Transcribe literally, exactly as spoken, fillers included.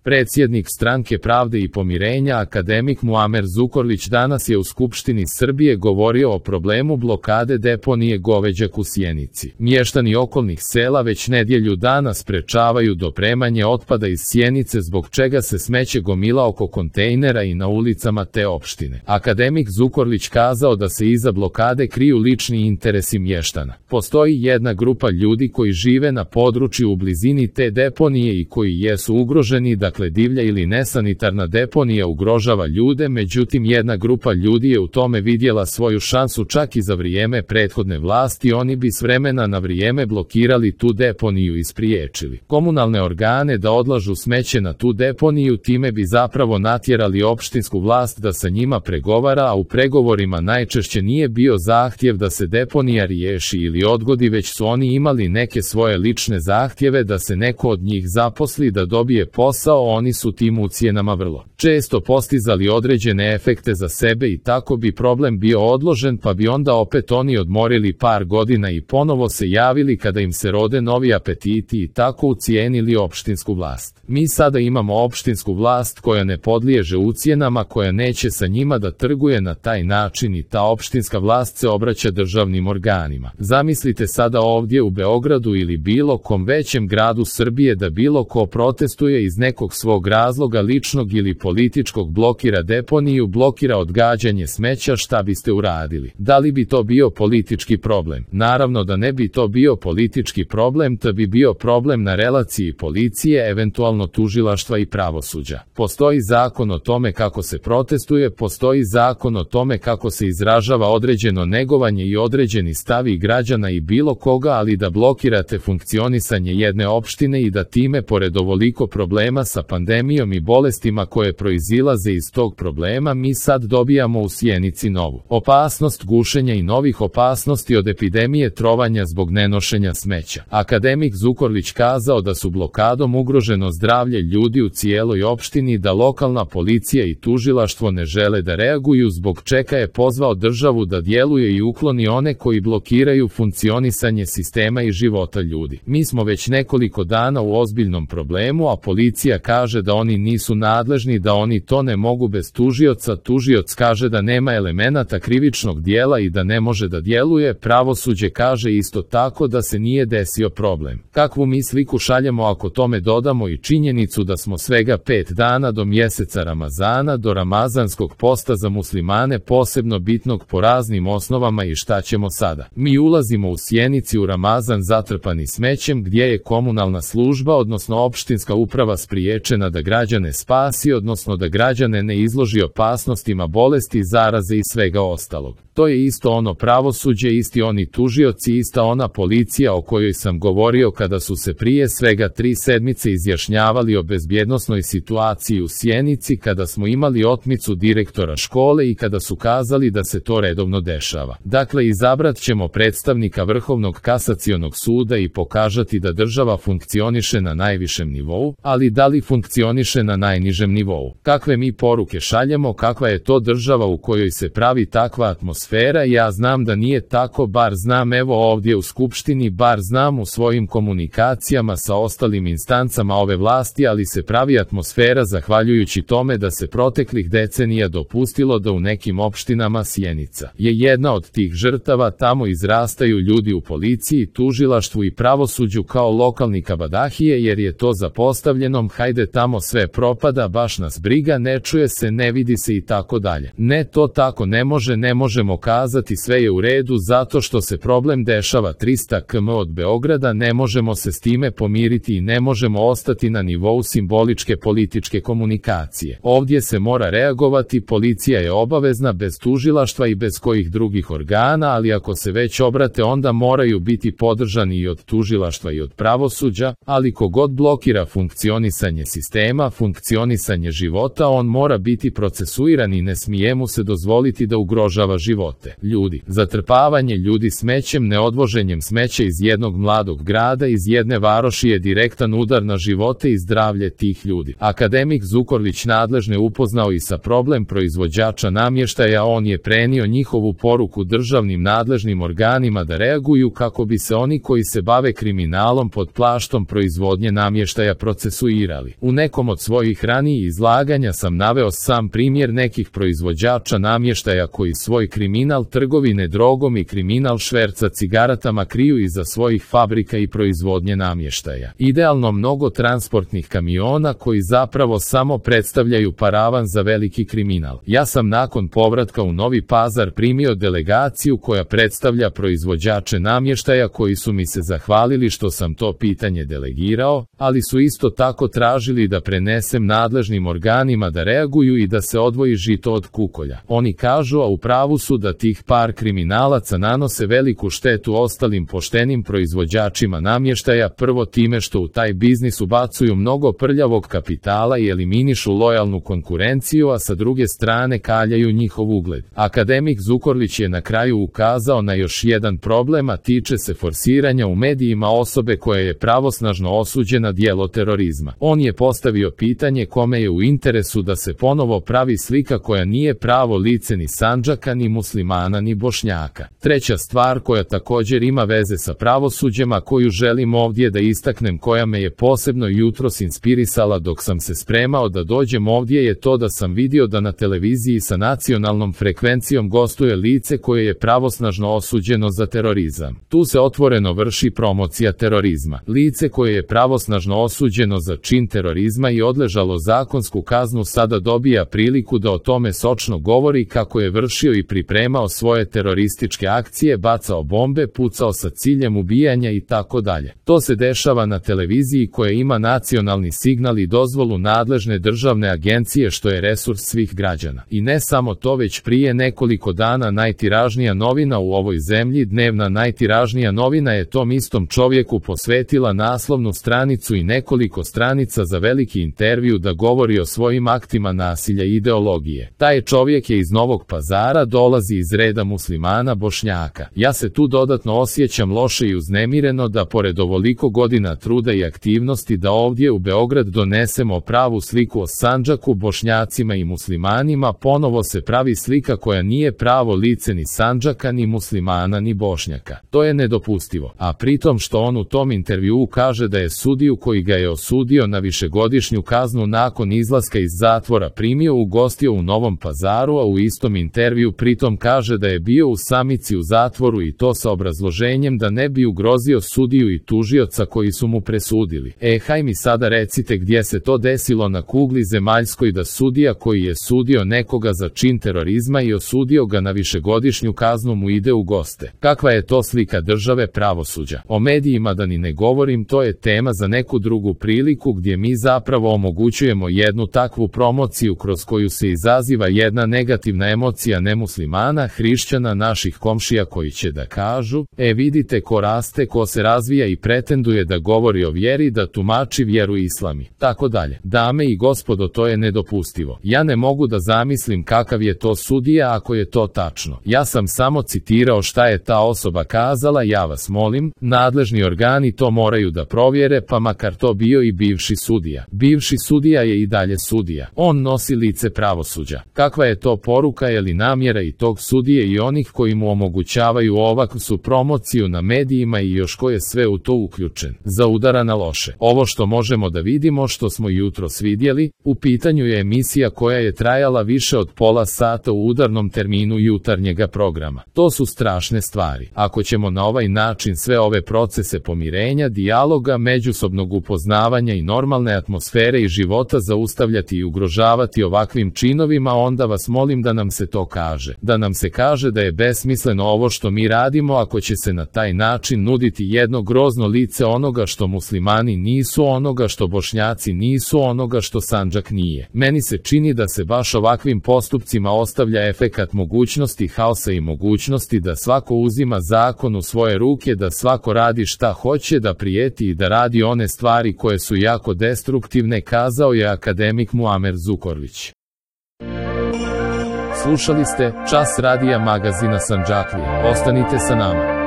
Predsjednik Stranke pravde i pomirenja akademik Muamer Zukorlić danas je u Skupštini Srbije govorio o problemu blokade deponije Goveđak u Sjenici. Mještani okolnih sela već nedjelju dana sprečavaju dopremanje otpada iz Sjenice zbog čega se smeće gomila oko kontejnera i na ulicama te opštine. Akademik Zukorlić kazao da se iza blokade kriju lični interesi mještana. Postoji jedna grupa ljudi koji žive na području u blizini te deponije i koji jesu ugroženi, dakle divlja ili nesanitarna deponija ugrožava ljude, međutim jedna grupa ljudi je u tome vidjela svoju šansu čak i za vrijeme prethodne vlasti, oni bi s vremena na vrijeme blokirali tu deponiju i spriječili komunalne organe da odlažu smeće na tu deponiju, time bi zapravo natjerali opštinsku vlast da sa njima pregovara, a u pregovorima najčešće nije bio zahtjev da se deponija riješi ili odgodi, već su oni imali neke svoje lične zahtjeve da se neko od njih zaposli, da dobije posao, oni su tim ucjenama vrlo često postizali određene efekte za sebe i tako bi problem bio odložen, pa bi onda opet oni odmorili par godina i ponovo se javili kada im se rode novi apetiti i tako ucijenili opštinsku vlast. Mi sada imamo opštinsku vlast koja ne podliježe ucjenama, koja neće sa njima da trguje na taj način i ta opštinska vlast se obraća državnim organima. Zamislite sada ovdje u Beogradu ili bilo kom većem gradu Srbije da bilo ko protestuje iz nekog svog razloga ličnog ili političkog, blokira deponiju, blokira odgađanje smeća, šta biste uradili? Da li bi to bio politički problem? Naravno da ne bi to bio politički problem, to bi bio problem na relaciji policije, eventualno tužilaštva i pravosuđa. Postoji zakon o tome kako se protestuje, postoji zakon o tome kako se izražava određeno negovanje i određeni stavi građana i bilo koga, ali da blokirate funkcionisanje jedne opštine i da time, pored ovoliko problema sa pandemijom i bolestima koje proizilaze iz tog problema, mi sad dobijamo u Sjenici novu opasnost gušenja i novih opasnosti od epidemije trovanja zbog nenošenja smeća. Akademik Zukorlić kazao da su blokadom ugroženo zdravlje ljudi u cijeloj opštini, da lokalna policija i tužilaštvo ne žele da reaguju, zbog čega je pozvao državu da djeluje i ukloni one koji blokiraju funkcionisanje sistema i života ljudi. Mi smo već nekoliko dana u ozbiljnom problemu, a policija kaže da oni nisu nadležni, da oni to ne mogu bez tužioca, tužioc kaže da nema elemenata krivičnog dijela i da ne može da djeluje, pravosuđe kaže isto tako da se nije desio problem. Kakvu mi sliku šaljemo ako tome dodamo i činjenicu da smo svega pet dana do mjeseca Ramazana, do Ramazanskog posta za muslimane posebno bitnog po raznim osnovama, i šta ćemo sada? Mi ulazimo u Sjenici u Ramazan zatrpani smećem, gdje je komunalna služba, odnosno opštinska uprava spriječena da građane spasi, odnosno da građane ne izloži opasnostima bolesti, zaraze i svega ostalog. To je isto ono pravosuđe, isti oni tužioci, ista ona policija o kojoj sam govorio kada su se prije svega tri sedmice izjašnjavali o bezbjednosnoj situaciji u Sjenici, kada smo imali otmicu direktora škole i kada su kazali da se to redovno dešava. Dakle, izabrat ćemo predstavnika Vrhovnog kasacionog suda i pokažati da država funkcioniše na najvišem nivou, ali da li funkcioniše na najnižem nivou? Kakve mi poruke šaljemo, kakva je to država u kojoj se pravi takva atmosfera? Ja znam da nije tako, bar znam evo ovdje u Skupštini, bar znam u svojim komunikacijama sa ostalim instancama ove vlasti, ali se pravi atmosfera zahvaljujući tome da se proteklih decenija dopustilo da u nekim opštinama Sjenica je jedna od tih žrtava, tamo izrastaju ljudi u policiji, tužilaštvu i pravosuđu kao lokalni kabadahije, jer je to zapostavljenom, hajde tamo sve propada, baš nas briga, ne čuje se, ne vidi se i tako dalje. Ne, to tako ne može, ne možemo kazati sve je u redu zato što se problem dešava trista kilometara od Beograda, ne možemo se s time pomiriti i ne možemo ostati na nivou simboličke političke komunikacije. Ovdje se mora reagovati, policija je obavezna bez tužilaštva i bez kojih drugih organa, ali ako se već obrate onda moraju biti podržani i od tužilaštva i od pravosuđa, ali kogod blokira funkcionisanje sistema, funkcionisanje života, on mora biti procesuiran i ne smije mu se dozvoliti da ugrožava živote ljudi. Zatrpavanje ljudi smećem, neodvoženjem smeća iz jednog mladog grada, iz jedne varoši je direktan udar na živote i zdravlje tih ljudi. Akademik Zukorlić nadležne upoznao i sa problem proizvođača namještaja, on je prenio njihovu poruku državnim nadležnim organima da reaguju kako bi se oni koji se bave kriminalom pod plaštom proizvodnje namještaja procesuirali. U nekom od svojih ranijih izlaganja sam naveo sam primjer nekih proizvođača namještaja koji svoj kriminal trgovine drogom i kriminal šverca cigaretama kriju iza svojih fabrika i proizvodnje namještaja. Idealno mnogo transportnih kamiona koji zapravo samo predstavljaju paravan za veliki kriminal. Ja sam nakon povratka u Novi Pazar primio delegaciju koja predstavlja proizvođače namještaja koji su mi se zahvalili što sam to pitanje delegirao, ali su isto tako tražili da prenesem nadležnim organima da reaguju i da se odvoji žito od kukolja. Oni kažu, a u pravu su, da tih par kriminalaca nanose veliku štetu ostalim poštenim proizvođačima namještaja, prvo time što u taj biznis ubacuju mnogo prljavog kapitala i eliminišu lojalnu konkurenciju, a sa druge strane kaljaju njihov ugled. Akademik Zukorlić je na kraju ukazao na još jedan problem, a tiče se forsiranja u medijima osobe koja je pravosnažno osuđena djelo terorizma. On je postavio pitanje kome je u interesu da se ponovo pravi slika koja nije pravo lice ni Sandžaka, ni muslimana, ni Bošnjaka. Treća stvar koja također ima veze sa pravosuđem, a koju želim ovdje da istaknem, koja me je posebno jutros inspirisala dok sam se spremao da dođem ovdje, je to da sam vidio da na televiziji sa nacionalnom frekvencijom gostuje lice koje je pravosnažno osuđeno za terorizam. Tu se otvoreno vrši promocija terorizma. Lice koje je pravosnažno osuđeno za čin terorizma i odležalo zakonsku kaznu sada dobija priliku da o tome sočno govori kako je vršio i pripremao svoje terorističke akcije, bacao bombe, pucao sa ciljem ubijanja i tako dalje. To se dešava na televiziji koja ima nacionalni signal i dozvolu nadležne državne agencije, što je resurs svih građana. I ne samo to, već prije nekoliko dana najtiražnija novina u ovoj zemlji, dnevna najtiražnija novina, je tom istom čovjeku posvetila naslovnu stranicu i nekoliko stranica za veliki intervju da govori o svojim aktima nasilja i ideologije. Taj čovjek je iz Novog Pazara, dolazi iz reda muslimana Bošnjaka. Ja se tu dodatno osjećam loše i uznemireno da pored ovoliko godina truda i aktivnosti da ovdje u Beograd donesemo pravu sliku o Sandžaku, Bošnjacima i muslimanima, ponovo se pravi slika koja nije pravo lice ni Sandžaka, ni muslimana, ni Bošnjaka. To je nedopustivo. A pritom što on u tom intervjuu kaže da je sudiju koji ga je osudio na višegodišnju kaznu nakon izlaska iz zatvora primio, ugostio u Novom Pazaru, a u istom intervju pritom kaže da je bio u samici u zatvoru, i to sa obrazloženjem da ne bi ugrozio sudiju i tužioca koji su mu presudili. E, haj mi sada recite gdje se to desilo na kugli zemaljskoj da sudija koji je sudio nekoga za čin terorizma i osudio ga na višegodišnju kaznu mu ide u goste. Kakva je to slika države pravosuđa? O medijima da ni ne govorim, to je tema za neku drugu priliku, gdje mi zapravo omogućujemo jednu takvu promociju kroz koju se izaziva jedna negativna emocija nemuslimana, hrišćana, naših komšija koji će da kažu, e vidite ko raste, ko se razvija i pretenduje da govori o vjeri, da tumači vjeru islami, tako dalje. Dame i gospodo, to je nedopustivo. Ja ne mogu da zamislim kakav je to sudija ako je to tačno. Ja sam samo citirao šta je ta osoba kazala. Ja vas molim, nadležni organi to moraju da provjere, pa makar to bio i bivši sudija. Bivši sudija je i dalje sudija. On nosi lice pravosuđa. Kakva je to poruka ili namjera i tog sudije i onih koji mu omogućavaju ovakvu su promociju na medijima i još ko je sve u to uključen? Za udara na loše. Ovo što možemo da vidimo, što smo jutros vidjeli, u pitanju je emisija koja je trajala više od pola sata u udarnom terminu jutarnjega programa. To su strašne stvari. Ako ćemo na ovaj način sve ove procese pomirenja, dijaloga, međusobnog upoznavanja i normalne atmosfere i života zaustavljati i ugrožavati ovakvim činovima, onda vas molim da nam se to kaže. Da nam se kaže da je besmisleno ovo što mi radimo ako će se na taj način nuditi jedno grozno lice onoga što muslimani nisu, onoga što Bošnjaci nisu, onoga što Sandžak nije. Meni se čini da se baš ovakvim postupcima ostavlja efekat mogućnosti haosa i mogućnosti da svako uzima zakon u svoje ruke, da svako radi šta hoće, da prijeti i da radi one stvari koje su jako destruktivne, kazao je akademik Muamer Zukorlić. Slušali ste Čas radija magazina Sandžaklija. Ostanite sa nama.